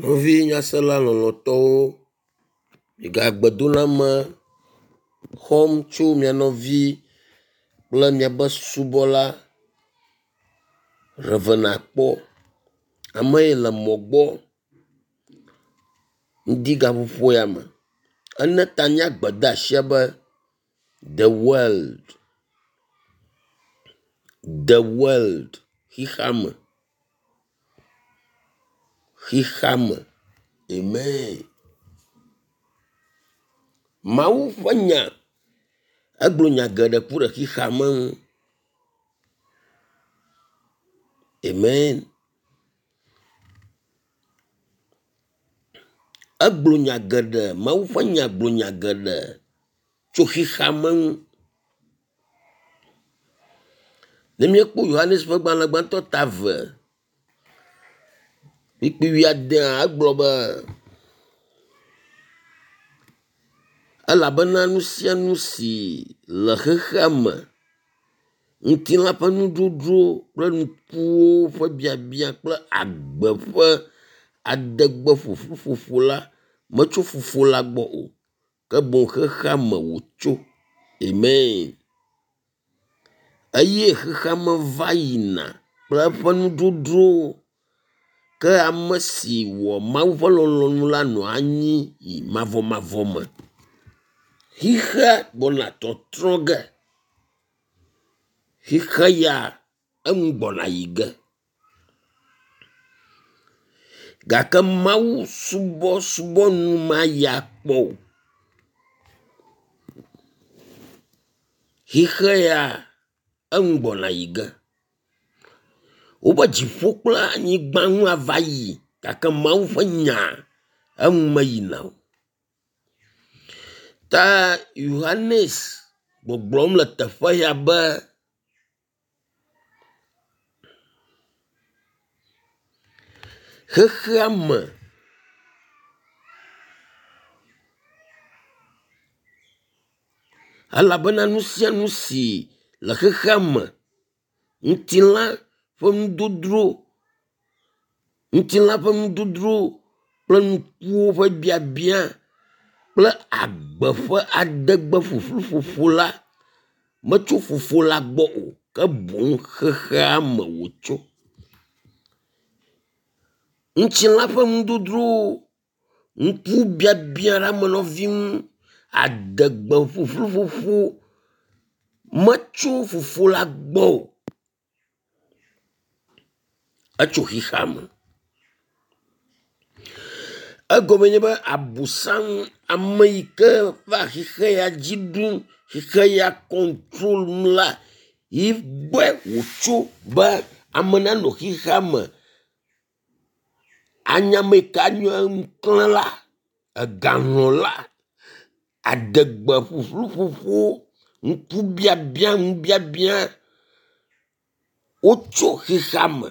Nɔvi nyasela lɔlɔ̃tɔwo, miga gbedoname xɔm tso mia nɔvi kple miaƒe subɔla Rev. Akpɔ. Ame yi le mɔ gbɔ ŋdi gaƒoƒo ya me. Ene ta nye gbedeasia be the world, the world xixeame, xixeame. Amen. Mawu ƒe nya egblɔ nya geɖe ku ɖe xixeame ŋu. Amen. Egblɔ nya geɖe, Mawu ƒe nya gblɔ nya geɖe tso xixeame ŋu. Ne míekpɔ Yohanes ƒe gbalẽ gbãtɔ ta 2 kpukpui wuiadea egblɔ be elabena nu sia nu si le xexea me, ŋutilã ƒe nudzodzro kple ŋkuwo ƒe biabia kple agbe ƒe adegbe ƒuƒlu ƒoƒo la metso fofo la gbɔ o ke boŋ xexea me wòtso. Amen. Eye xexea me va yina kple eƒe nudzodzrowo ke ame si wɔ Mawu ƒe lɔlɔ̃nu la nɔa anyi yi mavɔmavɔ me. Xixea gbɔna tɔtrɔ ge. Xixe ya enu gbɔna yi ge. Gake Mawu subɔsubɔ nu mayi akpɔ o. Xixe ya enu gbɔna yi ge. Wobe dziƒo kple anyigba nu ava yi gake Mawu ƒe nya enu meyina o. Ta Yohanes gbɔgblɔm le teƒe ya be xexea me elabena nu sia nu si le xexea me, ŋutilã ƒe nudodro, ŋutilã ƒe nudodro kple ŋkuwo ƒe biabia kple agbe ƒe adegbe ƒuƒlu ƒoƒo la metso fofo la gbɔ o ke boŋ xexea me wòtso. Ŋutilã ƒe nudodrowo, ŋkubiabia ɖe ame nɔvi ŋu, adegbe ƒuƒlu ƒoƒo metso fofo la gbɔ o. Etso xexea me. Egɔme nye be abosam ame yi ke va xixe ya dzi ɖum, xixe ya kɔntrol la yi gbɔe wòtso be ame nanɔ xixea me anye ame yi ke nye ŋuklẽla, egalɔ̃la, adegbe ƒuƒlu ƒoƒo, ŋkubiabia ŋubiabia wotso xexea me.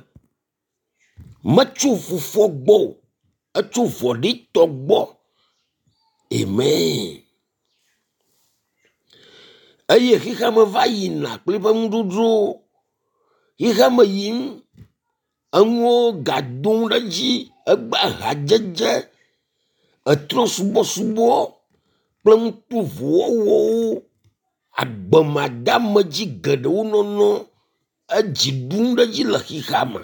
Metso fofoa gbɔ o, etso vɔ̃ɖitɔ gbɔ. Amen. Eye xexea me va yina kple eƒe nudzodzrowo. Xexea me yim, enuwo gadom ɖe edzi, egbe hadzedze, etrɔ̃subɔsubɔ kple nu tovowo wɔwɔwo, agbemadeamedzi geɖewo nɔnɔ edzi ɖum ɖe edzi le xexea me.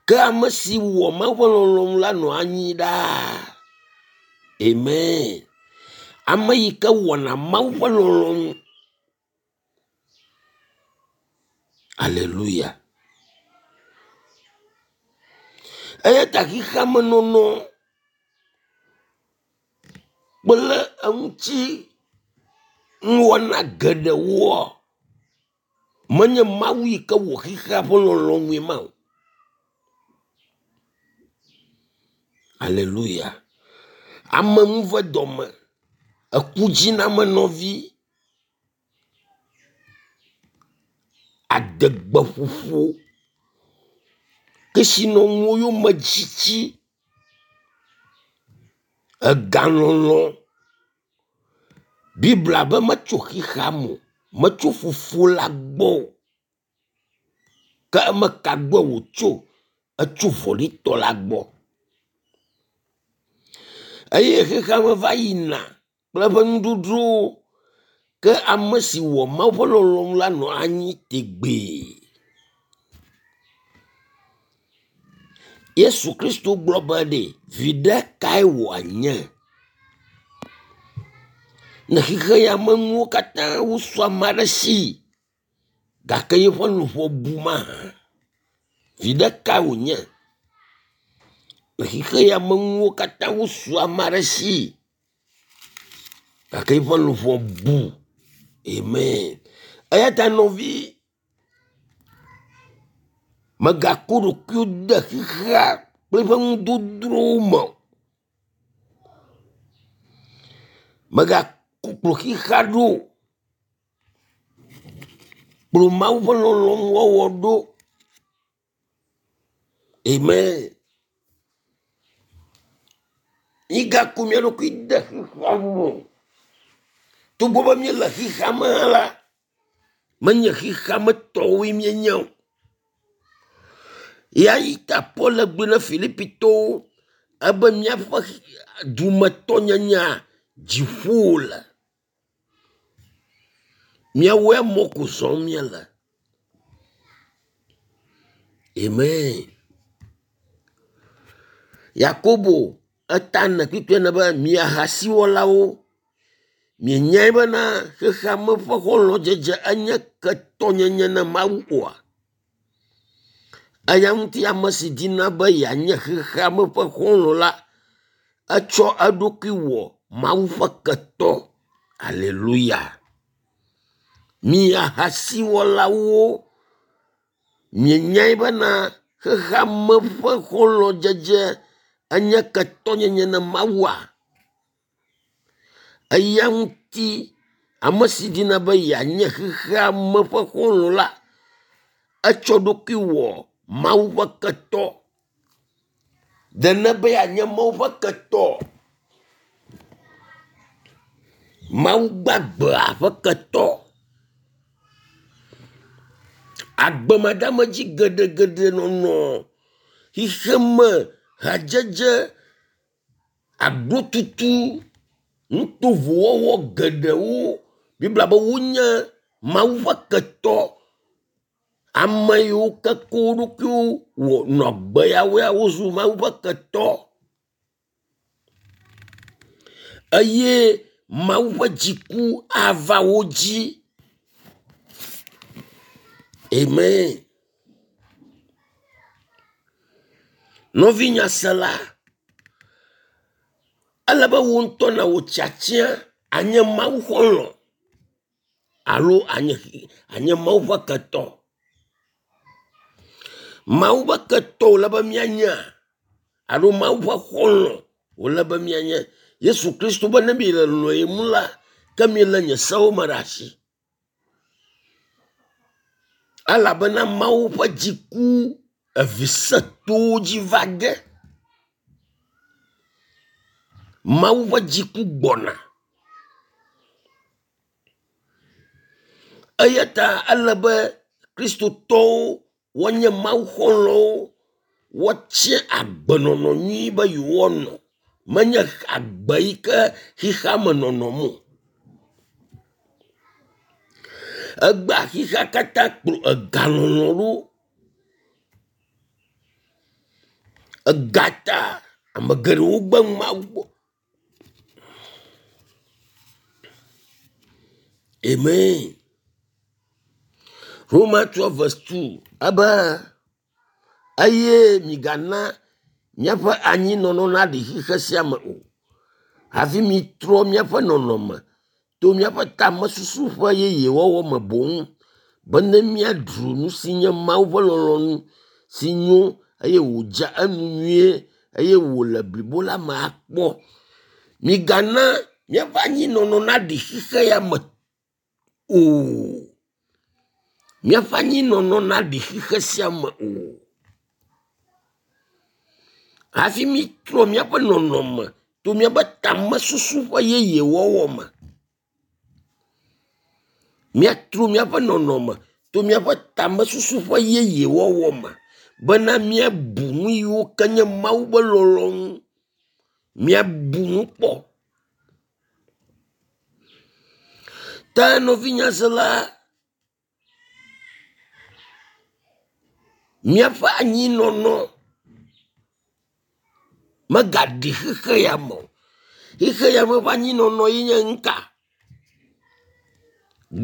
Ke ame si wɔ Mawu ƒe lɔlɔ̃nu la nɔ anyi ɖaa. Amen. Ame yi ke wɔna Mawu ƒe lɔlɔ̃nu. Aleluya. Eya ta xexea me nɔnɔ kple eŋuti nuwɔna geɖewoa, menye Mawu yi ke wɔ xexea ƒe lɔlɔ̃nue ma o. Aleluya. Ame nu ve dɔme, eku dzi na ame nɔvi, adegbeƒoƒo, kesinɔnuwo yome tsitsi, egalɔlɔ̃. Biblia be metso xexea me o, metso fofo la gbɔ o. Ke ame ka gbɔe wòtso? etso vɔ̃ɖitɔ la gbɔ. Eye xexea me va yina kple eƒe nudzodzrowo ke ame si wɔ Mawu ƒe lɔlɔ̃nu la nɔ anyi tegbee. Yesu Kristo gblɔ be ɖe viɖe kae wòanye ne xexe ya me nuwo katã wosu ame aɖe si gake yeƒe luʋɔ bu mahã? Viɖe kae wònye ne xexe ya me nuwo katã wosu ame aɖe si gake eƒe luʋɔ bu? Amen. Eya ta nɔvi, mègako ɖokuiwò de xexea kple eƒe nudodrowo me o. Mègakplɔ xexea ɖo o. Kplɔ Mawu ƒe lɔlɔ̃nu wɔwɔ ɖo. Amen. Mígaku mía ɖokui de xexea me o. Togbɔ be míele xexea me hã la, menye xexea me tɔwoe míenye o. Ya yi ta Paul gblɔ na Filipitɔwo ebe míaƒe dumetɔnyenyea dziƒo le. Míawoe mɔ ko zɔm míele. Amen. Yakobo eta ne kpikpi ene be mi ahasiwɔlawo, mienyae bena xexea me ƒe xɔlɔ̃dzedze enye ketɔnyenye na Mawu oa? Eya ŋuti ame si dina be yeanye xexea me ƒe xɔlɔ̃ la, etsɔ eɖokui wɔ Mawu ƒe ketɔ. Aleluya. Mi ahasiwɔlawo, mienyae bena xexea me ƒe xɔlɔ̃dzedze enye ketɔnyenye na Mawua? Eya ŋuti ame si dina be yeanye xexea me ƒe xɔlɔ̃ la, etsɔ ɖokui wɔ Mawu ƒe ketɔ. Ɖe nebe yeanye Mawu ƒe ketɔ? Mawu gbagbea ƒe ketɔ. Agbemadeamedzi geɖegeɖe nɔnɔ xexeme hadzedze agbotutu nutovowɔwɔ geɖewo. Biblia be wonye Mawu ƒe ketɔ. Ame yiwo ke ko wo ɖokuiwo wɔ nɔ agbe yawoa wozu Mawu ƒe ketɔ. Eye Mawu ƒe dziku ava wo dzi. Amen. Nɔvi nyasela, ele be wò ŋutɔ nàwɔ tiatia anye Mawu xɔlɔ̃ alo anye anye Mawu ƒe ketɔ. Mawu ƒe ketɔ wòle be míanye alo Mawu ƒe xɔlɔ̃ wòle be míanye. Yesu Kristo be ne miele lɔ̃em la, ke milé nye sewo me ɖe asi. Elabena Mawu ƒe dziku evi sẽtowo dzi va ge. Mawu ƒe dziku gbɔna. Eya ta ele be Kristotɔwo woanye Mawu xɔlɔ̃wo, woatia agbenɔnɔ nyui be yewoanɔ. Menye agbe yi ke xexea me nɔnɔm o. Egbea xexea katã kplɔ egalɔlɔ̃ ɖo. Ega ta ame geɖewo gbe Mawu gbɔ. Amen. Roma 12 verse 2 ebe eye migana míaƒe anyinɔnɔ naɖi xexe sia me o. Hafi mitrɔ míaƒe nɔnɔme to míaƒe tamesusu ƒe yeyewɔwɔ me boŋ bene míaɖu nu si nye Mawu ƒe lɔlɔ̃nu si nyo eye wòdze enu nyuie eye wòle blibo la me akpɔ. Migana míaƒe anyinɔnɔ naɖi xexe ya me o. Míaƒe anyinɔnɔ naɖi xexe sia me o. Hafi mítrɔ míaƒe nɔnɔme to míaƒe tamesusu ƒe yeyewɔwɔ me. Míatrɔ míaƒe nɔnɔme to míaƒe tamesusu ƒe yeyewɔwɔ me. bena míabu nu yiwo ke nye Mawu ƒe lɔlɔ̃nu. Míabu nu kpɔ. Ta nɔvinyasela, míaƒe anyinɔnɔ megaɖi xexe ya me o. Xexe ya me ƒe anyinɔnɔ ye nye nuka?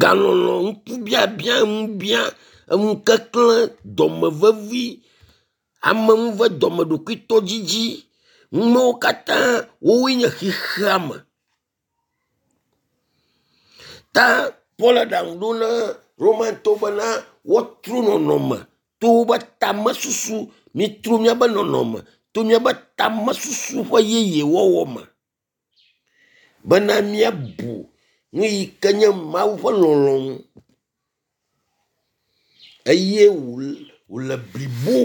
Galɔlɔ̃, ŋkubiabia, eŋubia, eŋukeklẽ, dɔmevevi, ameŋuvedɔme, ɖokuitɔdzidzi, numawo katã wowoe nye xexea me. Ta Paul aɖaŋu ɖo na Romatɔwo bena woatrɔ nɔnɔme to woƒe tamesusu, mitrɔ miaƒe nɔnɔme to miaƒe tamesusu ƒe yeye wɔwɔ me bena míabu nu yi ke nye Mawu ƒe lɔlɔ̃nu eye wòle blibo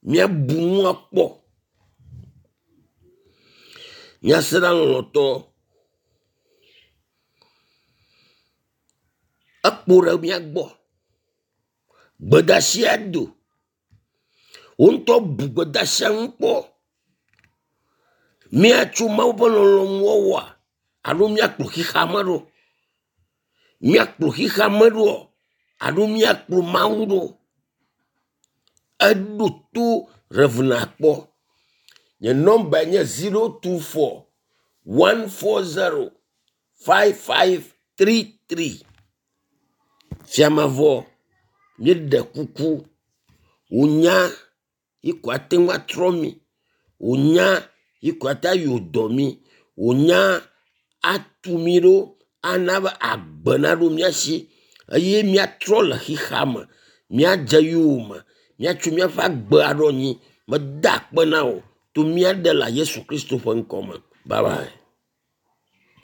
míabu nua kpɔ. Nyasela lɔlɔ̃tɔ, ekpo ɖe mía gbɔ. Gbedasia do. Wò ŋutɔ bu gbedasia ŋu kpɔ. Míatso Mawu ƒe lɔlɔ̃nu wɔwɔa alo míakplɔ xexeame ɖo? Míakplɔ xexeame ɖoa alo míakplɔ Mawu ɖo? Eɖo to Rev. Akpɔ. Nye nɔmbae nye 024 140 5533. Fiamavɔ, míeɖe kuku, wò nya yi ko ate ŋu atrɔ mí, wò nya yi ko ate ŋu ayɔ dɔ mí, wò nya atu mí ɖo ana be agbe naɖo mía si eye míatrɔ le xexea me, míadze yowòme, míatso míaƒe agbe aɖo anyi. Meda akpe na wò to mía Ɖela Yesu Kristo ƒe ŋkɔ me. Bye bye.